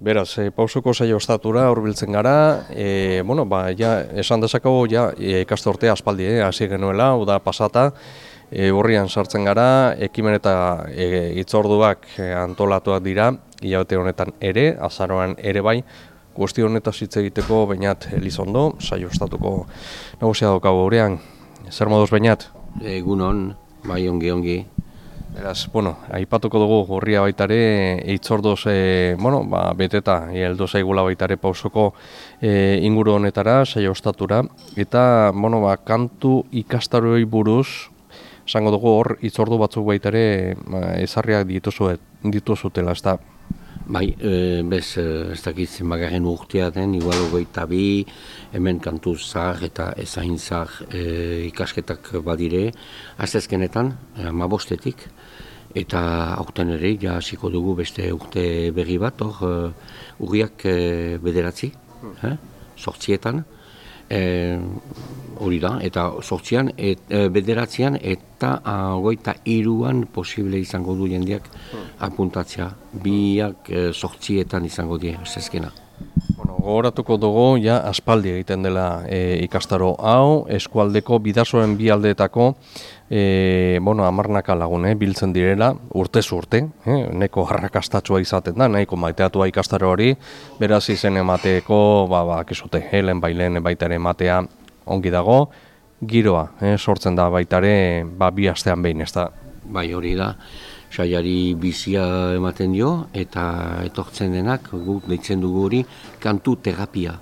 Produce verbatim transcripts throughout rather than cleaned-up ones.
Beraz, e, pausoko saio ostatura hurbiltzen gara, e, bueno, ba, ja, esan dezakegu, ja, e, ikasturtea aspaldi, eh, hasi genuela, uda pasata, e, urrian sartzen gara, ekimen eta e, hitzorduak e, antolatuak dira, hilabete honetan ere, azaroan ere bai, guzti honetaz hitz egiteko Beñat Elizondo, saio ostatuko nagusia daukagu gurean. Zer moduz, Beñat? Egunon, bai ongi ongi. Beraz, bueno, aipatuko dugu gorria baitare, hitzordoz, e, bueno, ba, beteta, heldu zaigula baitare pausoko e, inguru honetara, saio ostatura, eta, bueno, ba, kantu ikastaroei buruz, esango dugu hor, hitzordu batzuk baitare ba, ezarriak dituzu, dituzutela, ez da? Bai, e, bez, ez dakit zenbagarren urtea den, igual hogeita bi, hemen kantu zahar eta ezain zahar e, ikasketak badire, aztezkenetan, hamabostetik, eta aurten ere, ja hasiko dugu beste urte berri bat, hor, uh, urriak uh, bederatzi, hmm. eh? sortzietan, hori da, eta sortzian, et, uh, bederatzean, eta hogeita hiruan posible izango du jendeak hmm. apuntatzea, biak uh, sortzietan izango die, zezkena. Bueno, gogoratuko dugu, ja, aspaldi egiten dela e, ikastaro hau, eskualdeko bidasoen bi aldeetako, e, bueno, amarnaka lagun, eh, biltzen direla, urtez urte, eh, neko arrakastatsua izaten da, nahiko maiteatua ikastaro hori, beraz izen emateko, ba, ba, kesute, helen bailen baitare ematea ongi dago, giroa, eh, sortzen da baitare, ba, bi astean behin, ez da? Bai, hori da. Saiari bizia ematen dio, eta etortzen denak, guk deitzen dugu hori, kantu terapia.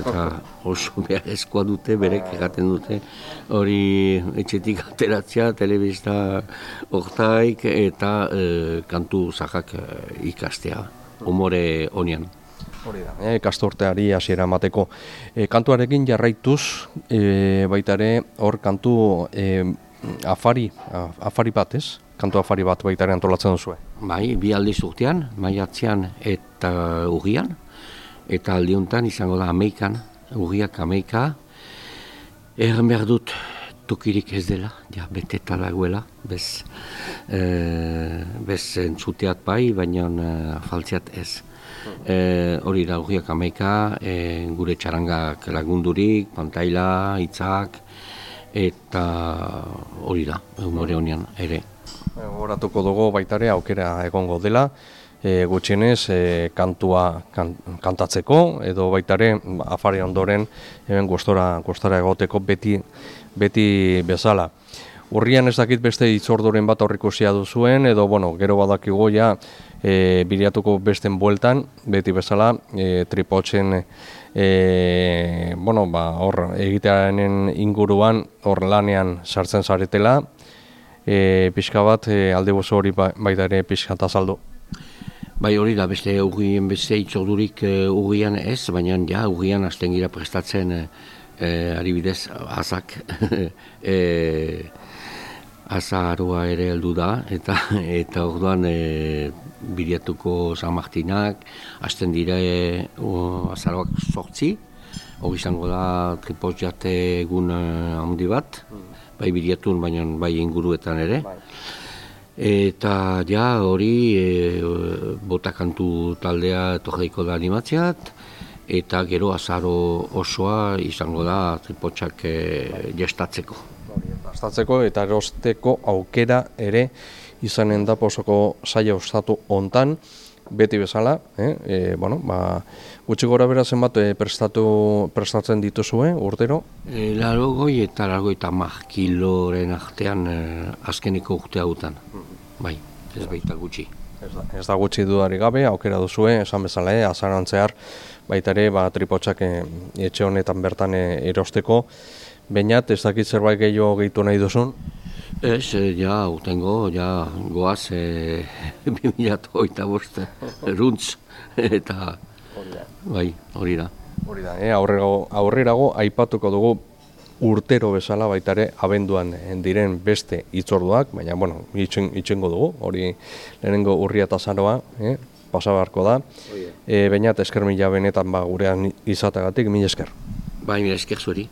Eta oso beharrezkoa dute, berek egaten dute, hori etxetik ateratzea, telebista hortaik, eta e, kantu zahak e, ikastea, umore honian. Hori da, e, kastorteari hasiera emateko. E, kantuarekin jarraituz, e, baitare hor kantu e, afari, afari bat ez? Kantu afari bat baitare antolatzen duzue. Bai, bi aldiz urtean, maiatzean eta urrian, eta aldiuntan izango da ameikan, urriak ameika. Erran behar dut tokirik ez dela, ja, beteta dagoela, bez, e, bez entzuteat bai, baina e, faltziat ez. E, hori da urriak ameika, e, gure txarangak lagundurik, pantaila, hitzak, eta hori da, humore honean ere. Horatuko dugu baitare aukera egongo dela, e, gutxienez e, kantua kan, kantatzeko, edo baitare afari ondoren hemen gustora, gustora egoteko beti, beti bezala. Urrian ez dakit beste hitzorduren bat aurreikusia duzuen, edo bueno, gero badakigu ja e, biriatuko besten bueltan, beti bezala, e, tripotzen e, bueno, ba, hor egitearen inguruan, hor lanean sartzen zaretela, E, pixka bat, e, alde bozo hori baita ere pixka eta azaldu. Bai hori da, beste urrien beste itzordurik e, urrian ez, baina ja urrian hasten gira prestatzen e, e, adibidez azak, e, azaroa ere heldu da, eta eta orduan e, biriatuko San Martinak, hasten dira e, azaroak sortzi, hori izango da tripoz jate egun handi bat, bai biriatun, baina bai inguruetan ere. Bai. Eta ja hori e, botakantu taldea etorriko da animatzeat, eta gero azaro osoa izango da tripotxak e, gestatzeko. Gestatzeko eta erosteko aukera ere izanen da posoko saia ostatu hontan, beti bezala, eh? E, bueno, ba, gutxi gora bera zenbat e, prestatu, prestatzen dituzue urtero? E, larogoi eta larogoi eta mar kiloren artean e, azkeneko urte hautan. Bai, ez baita gutxi. Ez da, ez da gutxi dudari gabe, aukera duzue, esan bezala, eh? Azarantzear, baita ere, ba, tripotxak e, etxe honetan bertan e, erosteko. Beñat, ez dakit zerbait gehiago gehitu nahi duzun? Ez, ja, urtengo, ja, goaz, e, bi mila hogeita bost, runtz, eta, bai, hori da. Hori da, eh? aurrerago, aurrerago aipatuko dugu urtero bezala baitare abenduan diren beste hitzorduak, baina, bueno, itxen, itxengo dugu, hori lehenengo urria eta azaroa, eh? pasabarko da. E, Beñat, esker mila benetan ba, gurean izatagatik, mila esker. Bai, mila esker zueri.